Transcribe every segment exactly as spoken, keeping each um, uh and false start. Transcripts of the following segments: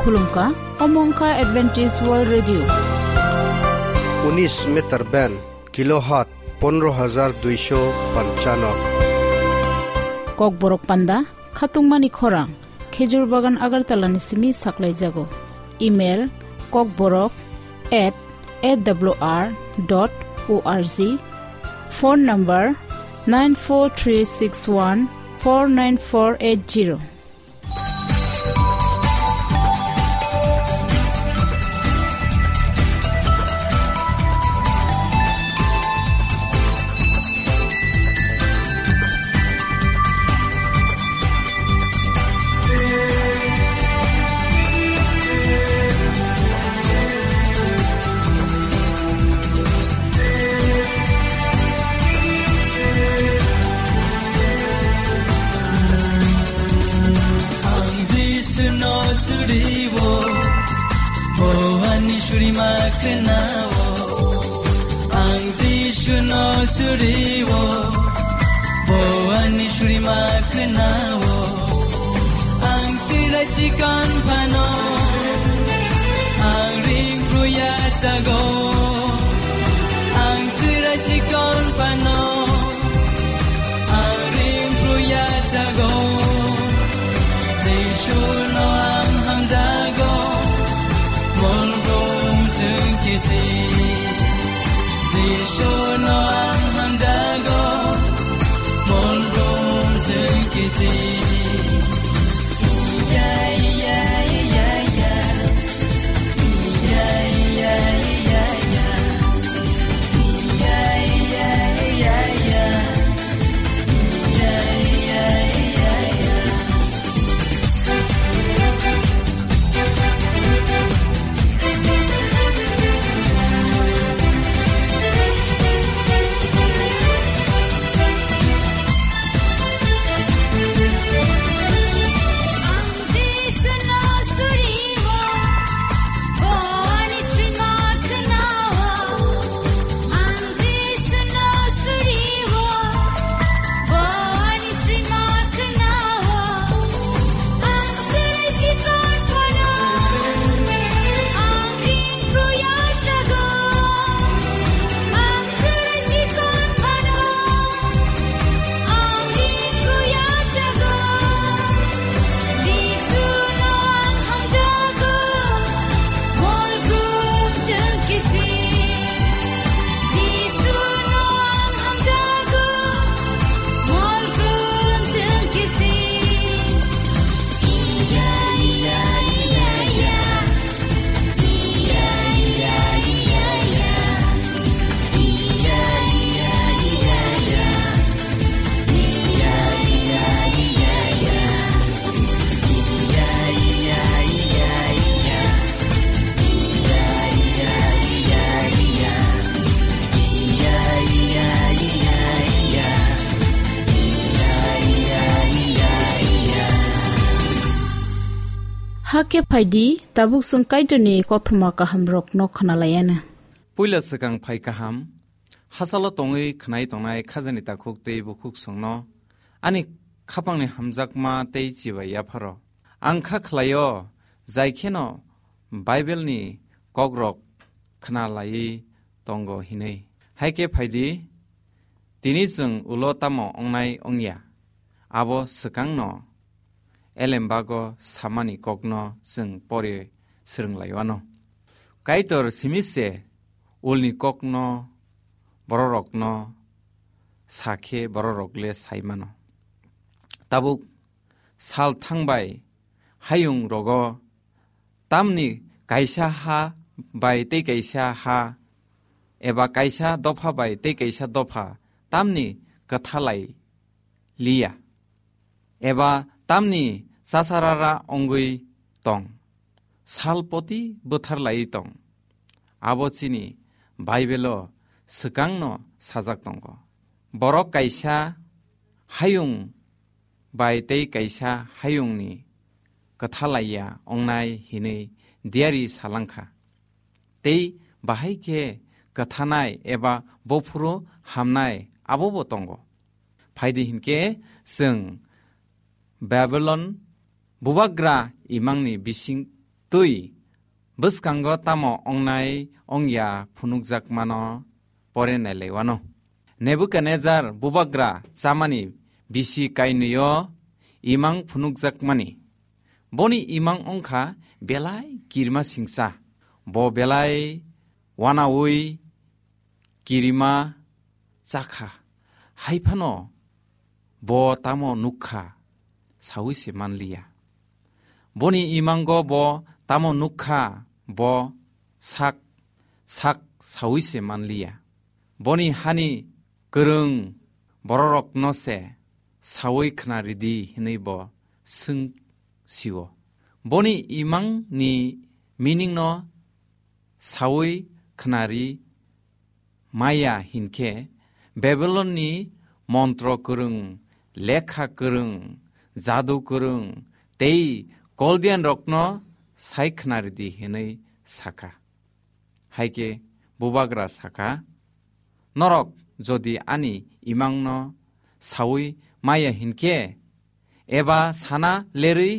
Khulumkha, omo wngkha Adventist World Radio. Unis meter band, kilohertz pondro hajar duisho panchanno. Kokborok panda, khatungmani khorang, Khejur Bagan Agartala ni simi saklaijago. Email, kokborok at A W R dot O R G. Phone number, nine four three six one four nine four eight zero. Ang Jisu no suriwo, bo ani surima khnao. Ang Jisu no suriwo, bo ani surima khnao. Ang sirai sikon phano, ang ring pruya jago. Ang sirai sikon phano, ang ring pruya jago. Jisu no ang hamjago, mol brum sengkisi. Jisu no ang hamjago, mol brum sengkisi. Hakhe phaidi, tabuk chwng Kaitorni kothoma kahamrokno khwnalaiana. Puila swkang phai kaham, hachalo tongwi khwnai tongnai khajani takhuk tei bukhuk chwngno ani khapangni hamjakma tei chibai yapharo. Ang kha khlaio, jai kheno Bible-ni kokrok khna laiwi tongo hinwi. Hai khe phaidi, tini chwng ulo tamo wngnai wngya, abo swkangno elembago samani kokno chwng pore swrwng laiwano. Kaitor simi se ulni kokno bororokno sa khe bororok le sai mano. Tabuk sal thangbai hayung rogo tamni kaisa ha bai tei kaisa ha eba kaisa dopha bai tei kaisa dopha tamni kwthalai liya eba tamni chasarara wngwi tong, sal poti bwthar laiwi tong. Abo chini Bible-o swkangno sajak tongo. Borok kaisa hayung bai tei kaisa hayungni kwthalaiya wngnai hinwi diari salangkha. Tei bahai khe kwthanai eba bophuru hamnai abobo tongo. Phaidi hinkhe chwng Babylon bubagra imangni bising twi bwskango tamo ongnai ongya phunukjakmano pore nailaiwano. Nebukadnejar bubagra chamani bisi kainwio imang phunukjakmani. Boni imang wngkha belai kirima singcha. Bo belai wanaui kirima chakha. Haiphano bo tamo nukha, saui se manliya. Boni imango bo tamo nukha, bo sak sak saui se manliya. Boni hani kwrwng bororokno se saui khna ridi hinui bo swng sio. Boni imangni meaning no saui khnari maya hinkhe Babylonni montro kwrwng, lekha kwrwng, jadu kwrwng tei Koldianrokno sai khnaridi hinui sakha. Haikhe bubagra sakha, "Norok jodi ani imangno saui maya hinkhe, eba sana lerwi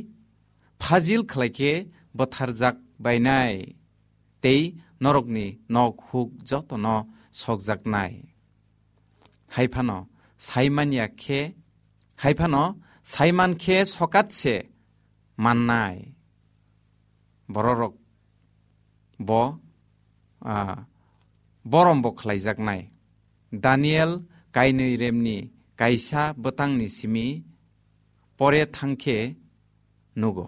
phajil khlaikhe bwtharjak bainai, tei norokni nok huk jotono sokjaknai. Haiphano sai manya khe, haiphano sai man khe sokat se mannai." Bororok bo, ah, borom bo khlaijaknai. Daniel kainwi remni kaisa bwtangni simi pore thangkhe nugo.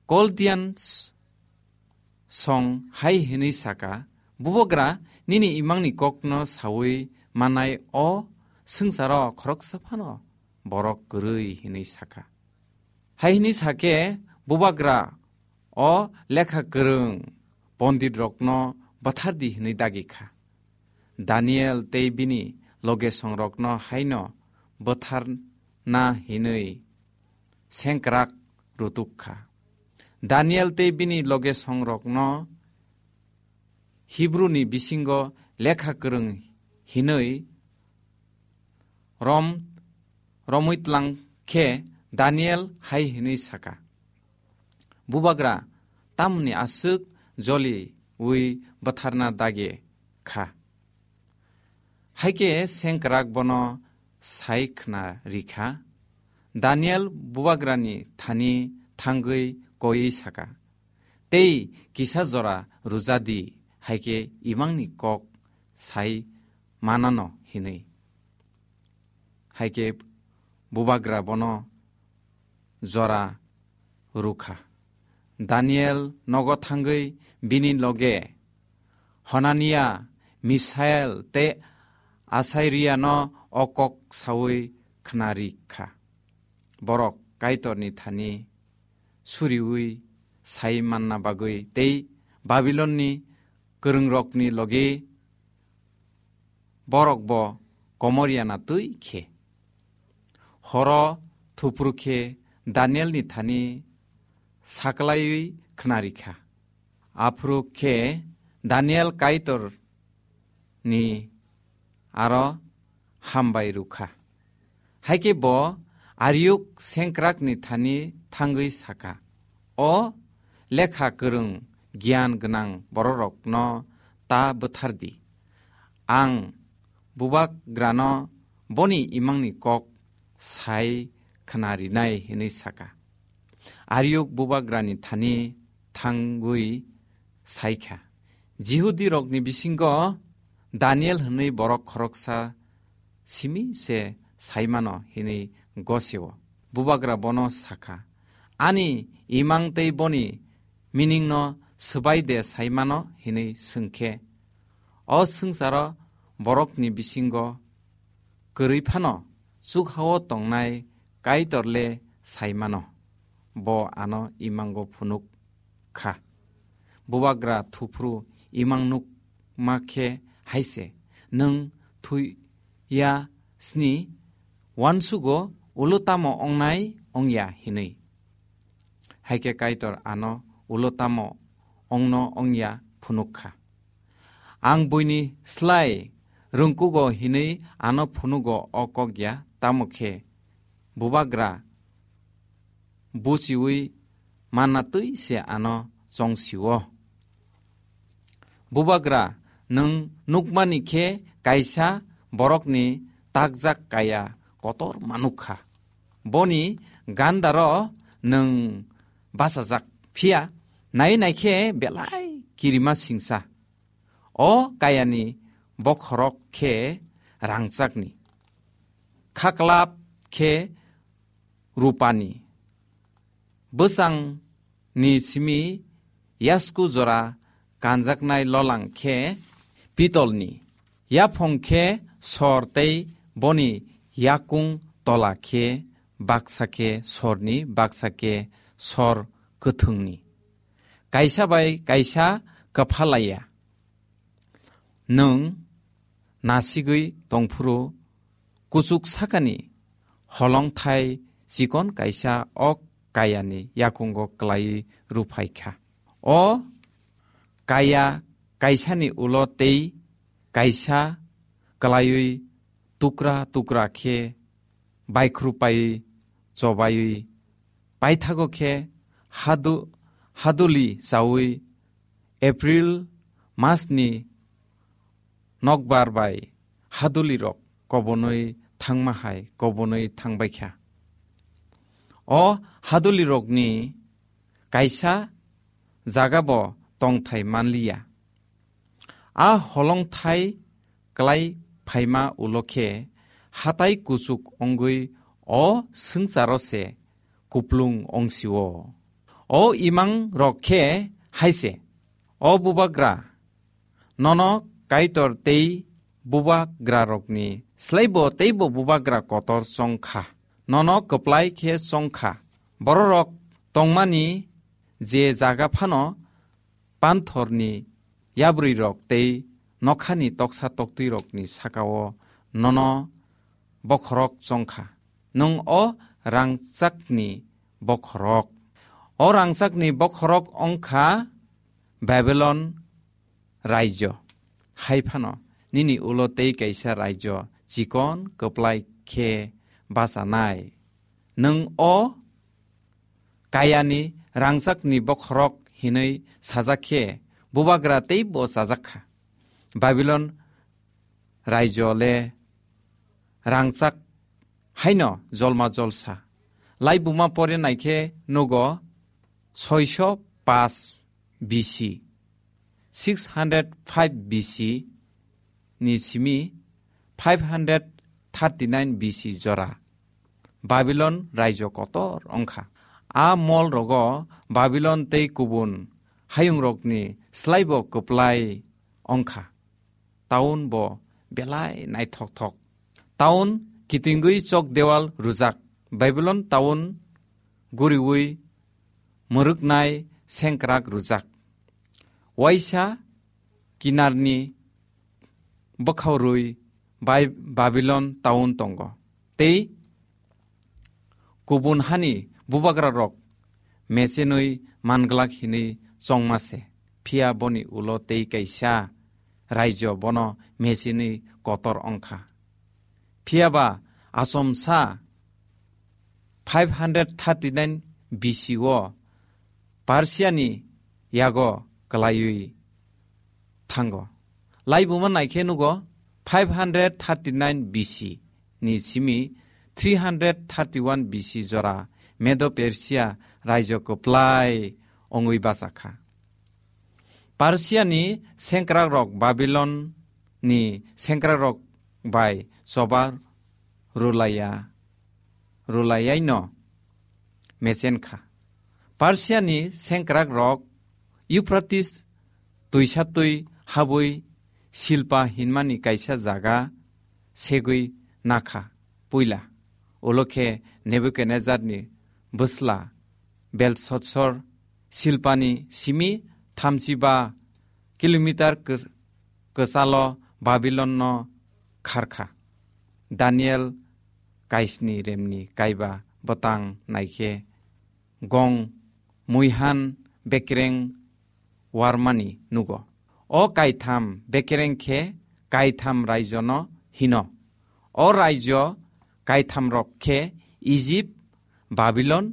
Koldian s-, song hai hinui saka, "Bubagra, nini imangni kokno saui manai o swngcharo khoroksa phano borok kwrwi," hinui saka. Hai hinui sakhe bubagra, "O lekha kwrwng ponditrokno bwthardi," hinui dagi kha. Daniel tei bini logesongrokno haino bwtharna hinui sengkrak rutuk kha. Daniel tei bini logesongrokno Hibruni bisingo lekha kwrwng hinui rom-, romwi tlang khe Daniel hai hinui saka, "Bubagra, tamoni aswk joliui bwtharna dagi kha?" Haikhe sengkrak bono sai khna rikha. Daniel bubagrani thani thangwi koiwi saka, "Tei kisa jora rwja di, haikhe imangni kok sai manano," hinui. Haikhe bubagra bono jora rukha. Daniel nogo thangwi bini loge Honania, Misael tei Asariano o kok saui khnari kha. Borok Kaitorni thani suriui sai manna bagwi tei Babilonni kwrwngrokni logi borok bo komor yana twi khe. Horo thuphuru khe Danielni thani saklaiwi khnari kha. Aphuru khe Daniel Kaitorni aro hambai rukha. Haikhe bo Ariuk sengkrakni thani thangwi saka, "O lekha kwrwng giyan gwnang bororokno ta bwthardi. Ang bubagrano boni imangni kok sai khnarinai," hinui saka. Ariuk bubagrani thani thangwi saikha, "Jihudirokni bisingo Daniel hwnwi borok khoroksa simi se saimano," hinwi gosio. Bubagra bono sakha, "Ani imang tei boni meaning no swbai de saimano?" hinwi swngkhe, "O swngcharo borokni bisingo kwrwi phano chukhao tongnai Kaitor le saimano, bo ano imango phunuk kha." Bubagra thuphuru imang nukma khe hai se, "Nwng thwi ya sni uansugo ulo tamo ongnai ongya?" hinwi. Haikhe Kaitor ano ulo tamo ongno ongya phunuk kha. "Ang buini slai rwngkugo hinwi ano phunugo o kok ya, tamo khe bubagra buchiui manna twi se ano chong si-o. Bubagra, nwng nukmani khe kaisa borokni takjak kaya kotor manuk kha. Boni gandaro nwng bachajak, phiya nai nai khe belai kirima singsa. O kayani bokhorok khe rangchakni, khaklap khe rupani, bwsangni simi yasku jora kanjaknai lolang khe pitolni, yaphong khe sor tei boni yakung tola khe baksa khe sorni, baksa khe sor kwthwngni. Kaisa bai kaisa kwphalaiya. Nwng nasigwi tongphuru kuchuk sakani holongthai chikon kaisa ok kayani yakungo klaiwi rwphai kha. O kaya kaisani ulo tei kaisa klaiwi tukra tukra khe baikhrupaiwi chobaiwi paithago khe hadu-, haduli chaui April masni nokbar bai hadulirok kobonwi thangma hai kobonwi thangbai kha. O hadulirokni kaisa jaga bo tongthai manliya. A holongthai klai phaima ulo khe hatai kuchuk wngwi o swngcharo se kuplung wng si-o. O imang rok khe hai se, O bubagra, nono Kaitor tei bubagrarokni slaibo teibo bubagra kotor chong kha. Nono kwplai khe chong kha. Bororok tongmani je jaga phano panthorni yabrwirok tei nokhani toksa toktwirokni saka-o nono bokhorok chong kha. Nwng o rangchakni bokhorok. O rangchakni bokhorok wng kha Babilon raijo. Hai phano nini ulo tei kaisa raijo chikon kwplai khe bachanai. Nwng o kayani rangchakni bokhorok hinwi sajak khe bubagra teibo chajak kha. Babilon raijo le rangchak haino jolma jolsa. Laibuma pore naikhe nugo soiso paanch B C, six hundred five B C ni simi five hundred thirty nine B C jora Babilon raijo kotor wngkha. A mol rogo Babilon tei kubun hayungrokni slaibo kwplai wngkha. Taun bo belai naithokthok. Taun kitingwi chok dewal rwjak. Babilon taun guriwi mwrwknai sengkrak rwjak. Waisa kinarni bwkhaorwi bai Babilon taun tongo. Tei kubun hani bubagrarok mechenwi manglak hinwi chongma se. Phiya boni ulo tei kaisa raijo bono mechenwi kotor wngkha. Phiya ba achomsa five hundred thirty nine B C o Persiani yago kwlaiwi thango. Laibuma naikhe nugo five hundred thirty nine B C ni simi three hundred thirty one B C jora Medo Persia raijo kwplai wngwi bachakha. Persiani sengkrakrok Babilon ni sengkrakrok bai choba rwlaiya, rwlaiyaino mechen kha. Persiani sengkrakrok Euphrates twisa twi habwi Silpa hinmani kaisa jaga segwi nakha puila. Ulo khe Nebukadnezarni bwsla Belsotsor Silpani simi thamchi ba kilometer kw-, kwchalo Babilonno kharkha. Daniel kaisni remni kaiba bwtang naikhe gong muihan bekereng warmani nugo. O kaitham bekereng khe kaitham raijono hino. O raijo kaithamrok khe Ijip, Babilon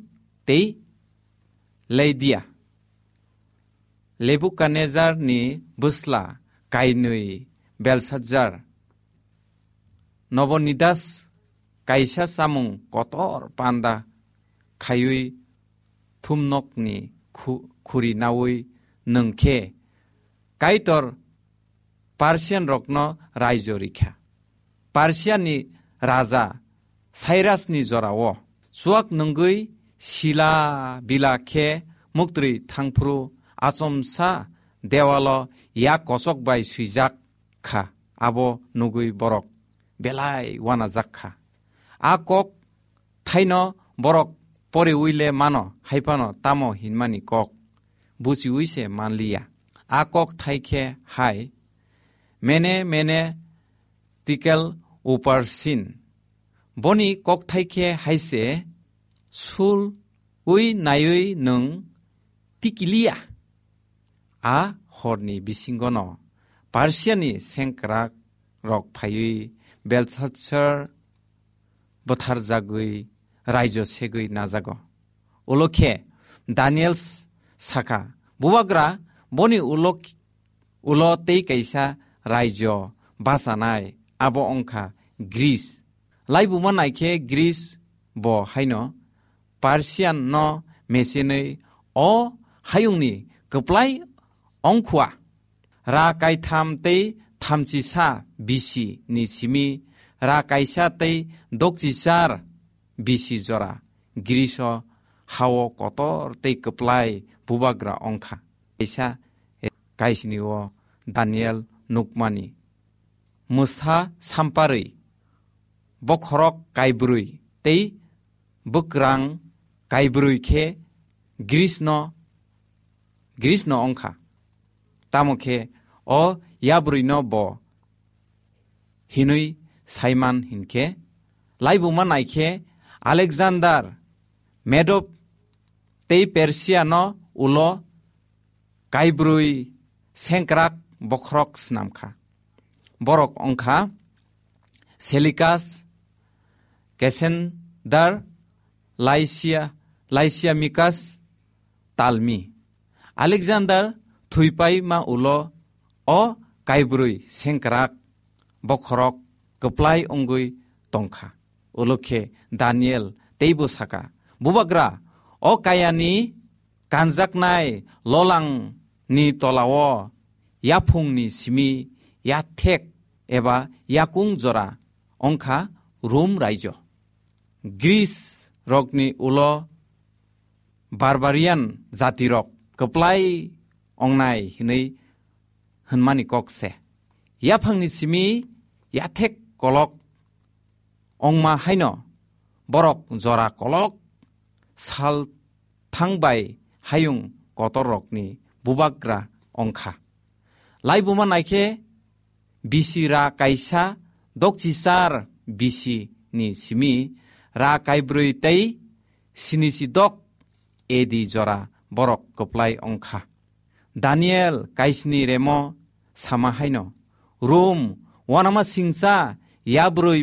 tei Leidia, Nebukadnezar ni bwsla kainwi Belshazzar, Nabonidas kaisa chamung kotor panda khaiwi thumnokni khu-, khuri naui nwng khe Kaitor Persian rokno raijo rikha. Persiani raja Cyrusni jorao chuak nwngwi sila bila khe muktwi thangphuru achomsa dewalo yak kochok bai swijak kha, abo nugwi borok belai uanajak kha. A kok thaino borok poriwi le mano, hai phano tamo hinmani kok buchiwi se manliya. A kok thai khe hai, Mene, Mene, Tekel, Uparsin. Boni kok thai khe hai se, sul ui naiwi nwng tikiliya. A horni bisingono Persiani sengkrak rok phaiwi Belshazzar butharjagwi raijo segwi najago. Ulo khe Daniel s-, sakha, "Bubagra, boni ulo, ulo tei kaisa raijo bachanai, abo wngkha Greece. Laibuma naikhe Greece bo haino Persian no mechenwi o hayungni kwplai ongkhua." Ra kaitham tei thamchisa B C ni simi ra kaisa tei dokchichar B C jora Greece o hao kotor tei kwplai bubagra ongkha. Kaisa kaisini o Daniel nukmani. Mwsa samparwi bokhorok kaibrwi tei bwkrang kaibrwi khe Greece no, Greece no ongkha. Tamo khe o yabrwi no bo hinwi saiman hinkhe, laibuma naikhe Alexander Medo tei Persia no ulo kaibrwi sengkrak bokhorok snamkha. Borok wngkha Seleucus, Cassander, Lysia, Lysimachus, Ptolemy. Alexander thwipaima ulo o kaibrwi sengkrak bokhorok kwplai wngwi tongkha. Ulo khe Daniel teibo saka, "Bubagra, o kayani kanjaknai lolangni tolao yaphungni simi yathek eba yakung jora wngkha Rom raijo. Greece rokni ulo barbarian jatirok kwplai ongnai hinwi hwnmani kok se. Yaphangni simi yathek kolok ongma haino borok jora kolok sal thangbai hayung kotorrokni bubagra ongkha." Laibuma naikhe B C ra kaisa dokchichar B C ni simi ra kaibrwi tei sinisidok A D jora borok kwplai ongkha. Daniel kaisni remo sama haino, Rom wanama singcha yabrwi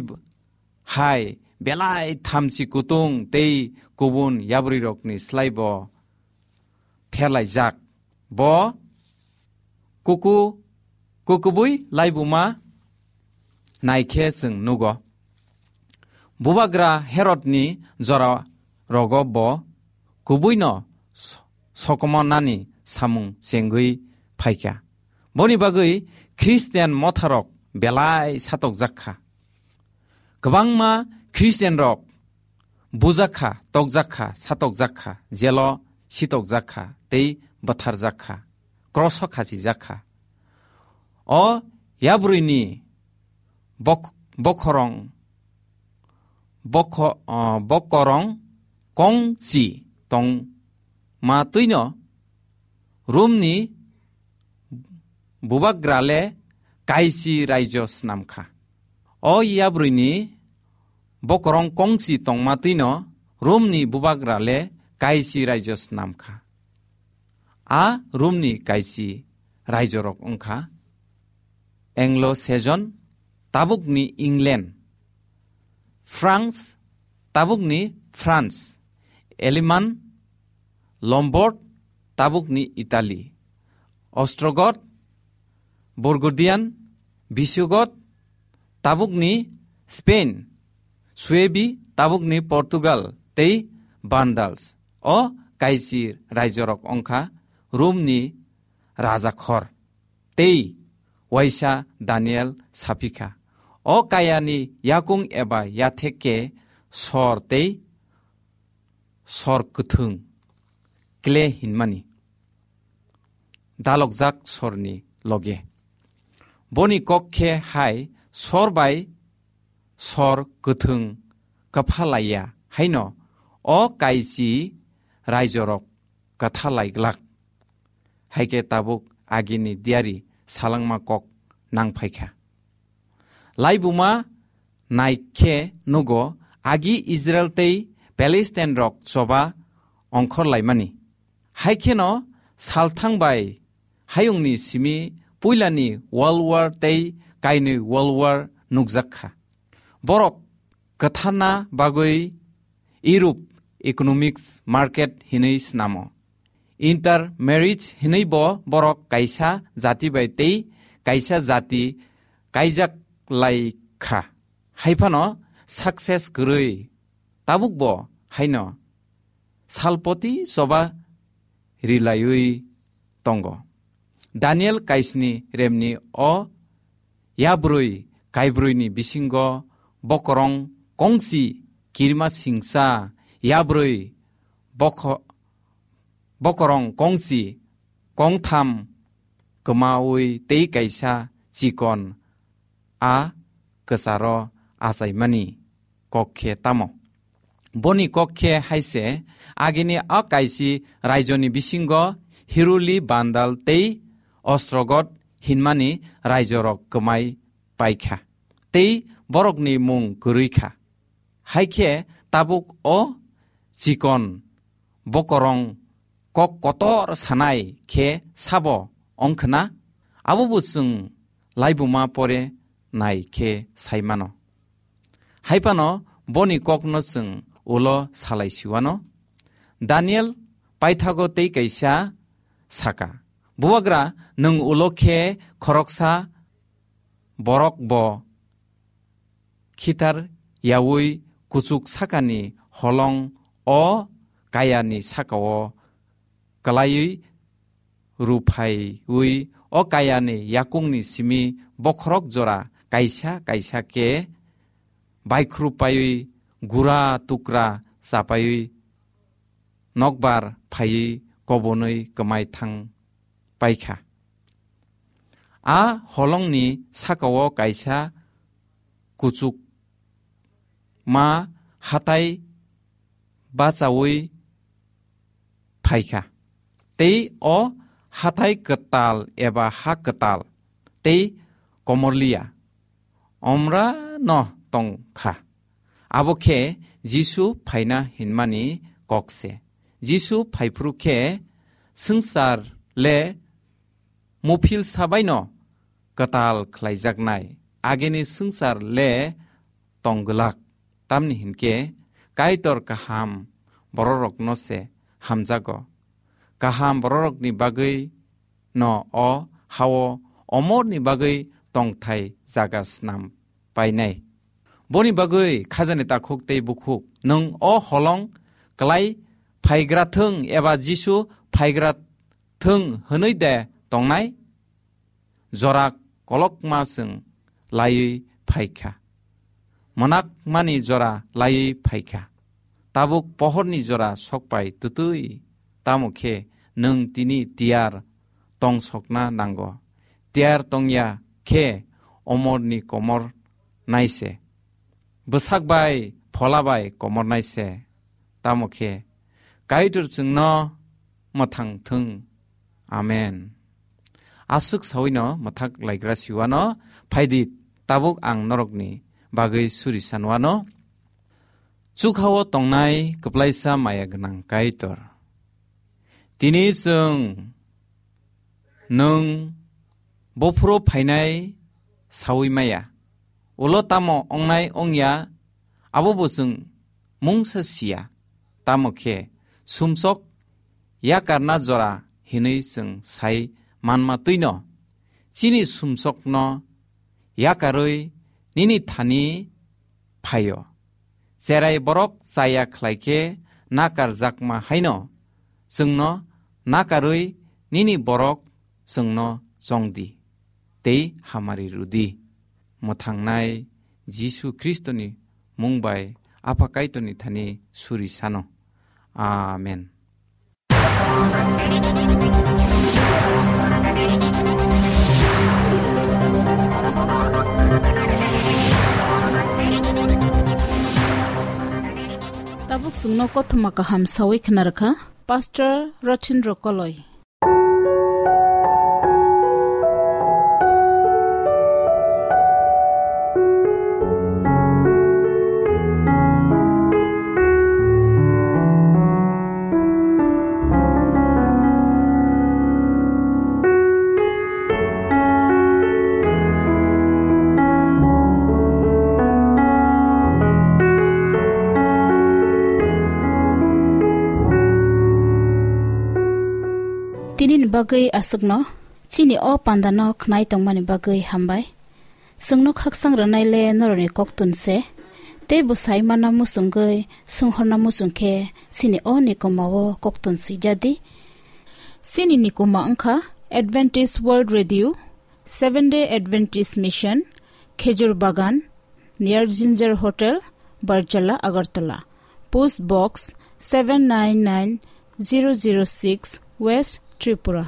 hai belai thamchi kutung tei kubun yabrwirokni slaibo pherlaijak. Bo kuku, kukubui laibuma naikhe chwng nugo. Bubagra Herodni jora rogo bo kubuino s-, sokomornani samung chengwi phaikha. Boni bagwi Christian motharok belai satokjak kha. Kwbangma Christian rok bujak kha, tokjak kha, satokjak kha, jelo sitokjak kha, tei bwtharjak kha, kroso khachijak kha. O yabrwini bok-, bokhorong, bokho-, o, bokorong kongchi tongma twino Romni bubagra le kaisi raijo snam kha. O yabrwini bokorong kongchi tongma twino Romni bubagra le kaisi raijo snam kha. A Romni kaisi raijorok wngkha Anglo-Saxon, tabukni England, France, tabukni France, Aleman, Lombard, tabukni Italy, Ostrogoth, Burgundian, Visigoth, tabukni Spain, Suebi, tabukni Portugal, tei Vandals. O kaisi raijorok wngkha Romni rajakhor. Tei waisa Daniel sapikha, o kayani yakung eba yathek khe sor tei sor kwthwng kle hinmani dalokjak sorni loge. Boni kok khe hai sor bai sor kwthwng kwpha laiya haino o kaisi raijorok kwtha lai glak. Hai khe tabuk agini diari salangma kok nang phaikha. Laibuma nai khe nugo agi Israel tei Palestine rok choba ongkhor laimani. Hai kheno salthang bai hayungni simi puilani World War tei kainwi World War nukjak kha. Borok kwtharna bagwi Europe economics market hinwi snamo. Intermarriage hinwi bo borok kaisa jati bai tei kaisa jati kaijak lai kha. Hai phano success kwrwi tabuk bo haino salpoti choba rilaiwi tongo. Daniel kaisni remni o yabrwi kaibrwini bisingo bokorong kongsi kirima singsa yabrwi bokho-, bokorong kongsi kongtham kwmawi tei kaisa chikon a kwcharo achaimani kok khe tamo? Boni kok khe hai se, agini a kaisi raijoni bisingo Hiruli Bandal tei Ostrogot hinmani raijorok kwmai paikha, tei borokni mung kwrwi kha. Hai khe tabuk o chikon bokorong kok kotor sanai khe sabo ongkhna? Abo bo chwng laibuma pore nai khe sai mano. Hai phano boni kokno chwng ulo salai siwano. Daniel paithago tei kaisa saka, "Bubagra, nwng ulo khe khoroksa borok bo khitar yaui kuchuk sakani holong o kayani sakao kwlaiwi ruphaiwi o kayani yakungni simi bokhorok jora kaisa kaisa khe baikhrup paiwi gura tukra chapaiwi nokbar phaiwi kobonwi kwmai thang paikha. A holongni sakao kaisa kuchuk ma hatai bachaui phaikha. Tei o hatai kwtal eba ha kwtal tei komorliya omra no tong kha. Abo khe Jisu phaina hinmani kok se. Jisu phaiphru khe swngchar le muphil sabaino kwtal khlaijaknai, agini swngchar le tong glak. Tamni hinkhe Kaitor kaham bororokno se hamjago. Kaham bororokni bagwi no o hao omorni bagwi tongthai jaga snam painai. Boni bagwi khajani takhuk tei bukhuk, nwng o holong klai phaigra thung eba Jisu phaigra thung hwnwi de tongnai? Jora kolokma chwng laiwi phaikha. Mwnakmani jora laiwi phaikha. Tabuk pohorni jora sokpai twtwi, tamo khe nwng tini tiyar tongsokna nango. Tiyar tongya khe omorni komor naise. Bwsak bai phola bai komor naise. Tamo khe Kaitor chwngno mwthang thung. Amen. Aswk sawino mwthak laigra siwano phaidi, tabuk ang norokni bagwi suri sanwano. Chukhao tongnai kwplaisa maya gwnang Kaitor. Tini chwng nwng bophuru phainai saui maya. Ulo tamo ongnai ongya, abo bo chwng mungsa siya. Tamo khe sumsok yakarna jora hinwi chwng sai manma twino, chini sumsokno yakarwi nini thani phaio. Cherai borok chaya khlai khe nakarjakma haino chwngno nakarwi nini borok chwngno chong di tei hamari rw di. Mwthangnai Jisu Khristoni mung bai Apha Kaitorni thani suri sano. Amen. Tabuk chwngno kothoma kaham sawi khna rwkha Pastor Rothin Rokoloi. Tinini bagwi aswkno, chini o pandano khnai tongmani bagwi hambai. Chwngno khaksang rwnai le norokni koktun se, tei bwsai mana muchungwi swnghorna muchung khe chini o nikomao koktun swijadi. Chini nikoma wngkha Adventist World Radio, Seventh Day Adventist Mission, Khejur Bagan, near Ginger Hotel, Barjala, Agartala. Post Box seven nine nine zero zero six, West Tripura.